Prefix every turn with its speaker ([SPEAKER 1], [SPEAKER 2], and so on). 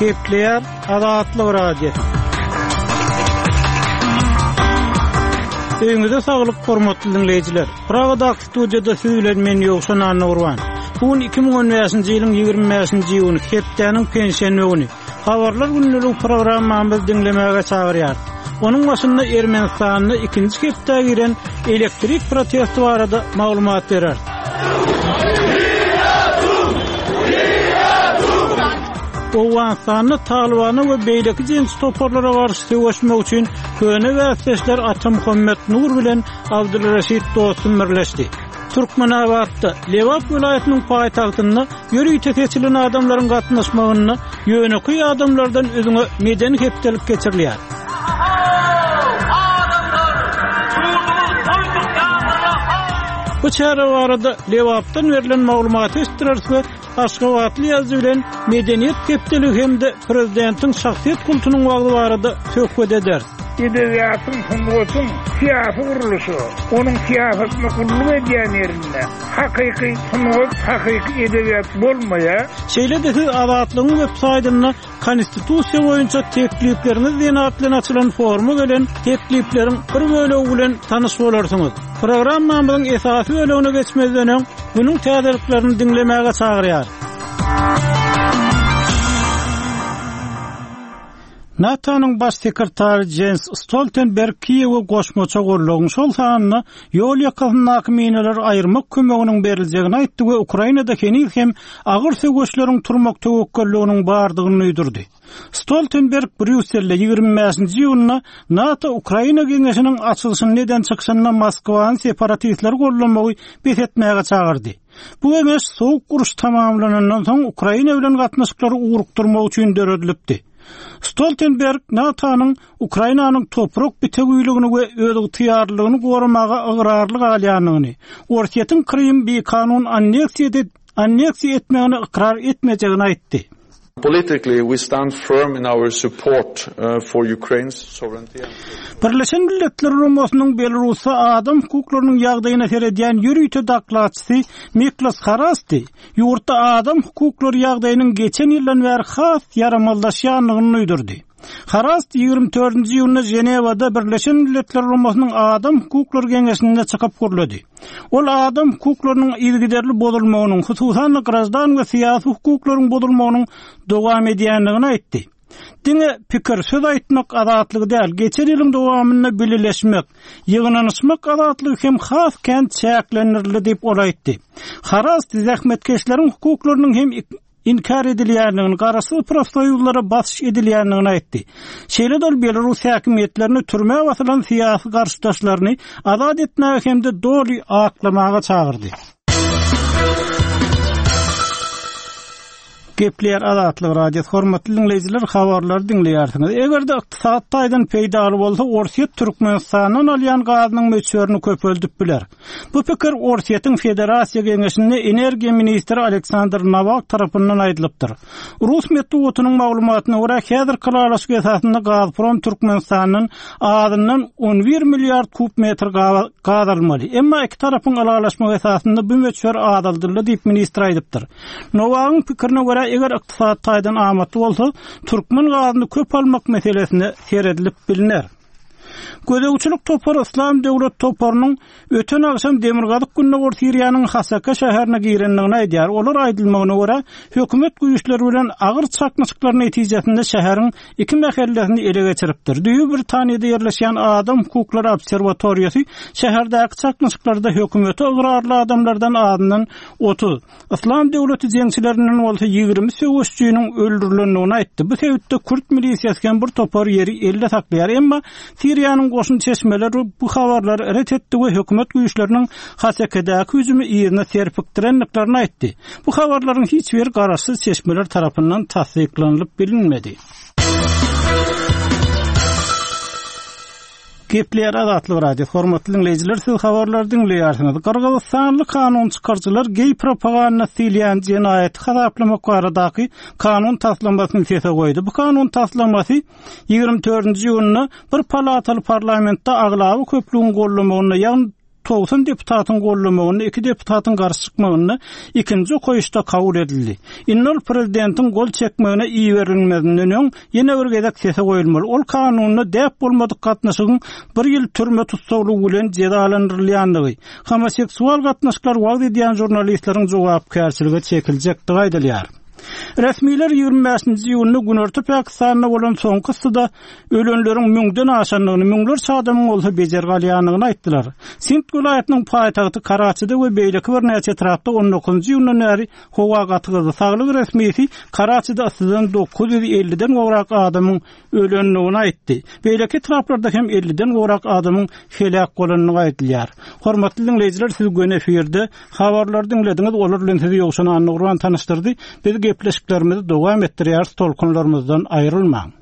[SPEAKER 1] Gepleýär Azatlyk Radiosy. Öýüňize saglyk, hormatly diňleýjiler! Pragadaky studiýada siz bilen men Ýowşan Annagurban. Bu gün 2015-nji ýylyň 25-nji iýuny, hepdäniň penşenbe güni. Habarlar gündelik programmamyzy diňlemäge çagyrýar. Onuň başynda Ermenistanda ikinji hepdä giren elektrik protesti barada maglumat bereris. Owganystanda Talybana we beýleki jeňçi toparlara garşy söweşmek üçin köne bäsdeşler Atamuhammet Nur bilen Abdulreşit Dostum birleşdi. Türkmenabatda, Lebap welaýatynyň paýtagtynda ýörite seçilen adamlaryň gatnaşmagynda ýönekeý adamlardan üzňe medeni hepdelik geçirilýär. Bu çäre barada Lebapdan berlen maglumaty eşitdireris we Aşgabatly ýazyjy bilen Medeniýet hepdeligi hem-de prezidentiň şahsyýet kultunyň wagzy barada söhbet ederis.
[SPEAKER 2] Edebiýatyň, sungatyň syýasy gurluşy, onuň syýasatyna gulluk edýän ýerinde hakyky sungat, hakyky edebiýat bolmaýar.
[SPEAKER 1] Şeýle-de siz Azatlygyň web saýtynda Konstitusiýa boýunça teklipleriňiz diýen at bilen açylan foruma gelen teklipleriň bir bölegi bilen tanyş bolarsyňyz. Programmamyzyň esasy bölegine geçmezden öň, günüň täzeliklerini diňlemäge çagyrýarys. NATO-nyň Baş sekretary Jens Stoltenberg Kiýewe goşmaça goldawyň, şol sanda ýol ýakasyndaky minalary aýyrmak kömeginiň beriljegini aýtdy we Ukrainada heniz hem agyr söweşleriň turmak töwekgelliginiň bardygyny duýdurdy. Stoltenberg Brýusselde 25-nji iýunda NATO-Ukraina geňeşiniň açylyşynda eden çykyşynda Moskwany separatistleri goldamagy bes etmäge çagyrdy. Bu geňeş Sowuk uruş tamamlanandan soň Ukraina bilen gatnaşyklary ugrukdyrmak üçin döredilipdi. Stoltenberg NATO-nyň Ukrainanyň toprak bitewiligini we özygtyýarlylygyny goramaga ygrarly galýandygyny, Orsýetiň Krymy bikanun anneksiýa anneksiýa etmegini ykrar etmejegini aýtdy.
[SPEAKER 3] Politically, we stand firm in our support for Ukraine's sovereignty and
[SPEAKER 1] Birleşen Milletler Guramasynyň Belarusda adam hukuklarynyň ýagdaýyna seredýän ýörite dokladçysy Miklos Harasti ýurtda adam hukuklary ýagdaýynyň geçen ýyldan bäri has ýaramazlaşýandygyny duýdurdy. Harast 24-nji iýunda Ženewada Birleşen Milletler Guramasynyň Adam hukuklary geňeşinde çykyp gürledi. Ol adam hukuklarynyň yzygiderli bozulmagynyň, hususan-da graždan we syýasy hukuklaryň bozulmagynyň dowam edýändigini aýtdy. Diňe pikir, söz aýtmak azatlygy däl, geçen ýylyň dowamynda bileleşmek, ýygnanyşmak azatlygy hem has kän çäklendirildi diýip, ol aýtdy. Harast zähmetkeşleriň hukuklarynyň hem inkär edilýändigini, garaşsyz profsoýuzlara basyş edilýändigini aýtdy. Şeýle-de ol belarus häkimiýetlerini türmä basylan syýasy garşydaşlaryny azat etmäge hem-de doly aklamaga çagyrdy. Gepleýär Azatlyk Radiosy, hormatly diňleýjiler, habarlary diňleýärsiňiz. Eger-de ykdysady taýdan peýdaly bolsa, Orsýet Türkmenistandan alýan gazynyň möçberini köpeldip biler. Bu pikir Orsýetiň Federasiýa Geňeşinde energiýa ministri Aleksandr Nowak tarapyndan aýdylypdyr. Rus metbugatynyň maglumatyna görä, häzirki ylalaşyk esasynda Gazprom Türkmenistandan azyndan 11 milliard kub metr gaz almaly. Emma iki tarapyň ylalaşmagy esasynda bu möçber azaldyldy diýip, ministr aýdypdyr. Nowagyň pikirine görä, eger ykdysady taýdan amatly bolsa, türkmen gazyny köp almak meselesine seredilip bilner. Gözegçilik topary Yslam döwlet toparynyň öten agşam demirgazyk-gündogar Siriýanyň Hasaka şäherine girendigini aýdýar. Olar aýdylmagyna görä, hökümet güýçleri bilen agyr çaknyşyklar netijesinde şäheriň iki mähellesini ele geçiripdir. Düýbi Britaniýada ýerleşýän Adam hukuklary obserwatoriýasy şäherdäki çaknyşyklarda hökümete ygrarly adamlardan azyndan 30, Yslam döwleti jeňçilerinden bolsa 20 söweşijiniň öldürilendigini aýtdy. Bu sebitde kürt milisiýasy hem bir topar ýeri elde saklaýar. Emma Siriýanyň goşun çeşmeleri bu habarlary ret etdi we hökümet güýçleriniň Hasekedäki hüjümi yzyna serpikdirendiklerini aýtdy. Bu habarlaryň hiç biri garaşsyz çeşmeler tarapyndan tassyklanylyp bilinmedi. Gepleýär Azatlyk Radiosy. Hormatly diňleýjiler, siz habarlary diňleýärsiňiz. Gyrgyzystanly kanun çykaryjylar geý propagandasy diýilýän jenaýaty hasaplamak baradaky kanun taslamasyny sese goýdy. Bu kanun taslamasy 24-nji iýunda bir palataly parlamentde aglaba köplügiň gollamagynda, ýagny. 90 deputatyň gollamagynda, iki deputatyň garşy çykmagynda ikinji okaýyşda kabul edildi. Indi ol prezidentiň gol çekmegine iberilmezinden öň ýene bir gezek sese goýulmaly. Ol kanunda däp bolmadyk gatnaşygyň bir ýyl türme tussaglygy bilen jezalandyrylýandygy, homoseksual gatnaşyklary wagyz edýän žurnalistleriň jogapkärçilige çekiljekdigi aýdylýar. Resmiler 25-nji iýunda Günorta Pakistanda bolan soňky yssyda ölenleriň müňden aşandygyny, müňlerçe adamyň bolsa bejergi alýandygyny aýtdylar. Sindh welaýatynyň paýtagty Karaçide we beýleki birnäçe etrapda on dokuzynjy iýundan bäri howa gaty gyzdy. Saglyk resmisi Karaçide yssydan 950-den gowrak adamyň ölendigini aýtdy. Beýleki etraplarda hem 50-den gowrak adamyň heläk bolandygy aýdylýar. Hormatly diňleýjiler, siz göni efirde habarlary diňlediňiz, olar bilen sizi Ýowşan Annagurban tanyşdyrdy. Biz gepleşiklerimizi dowam etdirýäris, tolkunlarymyzdan aýrylmaň.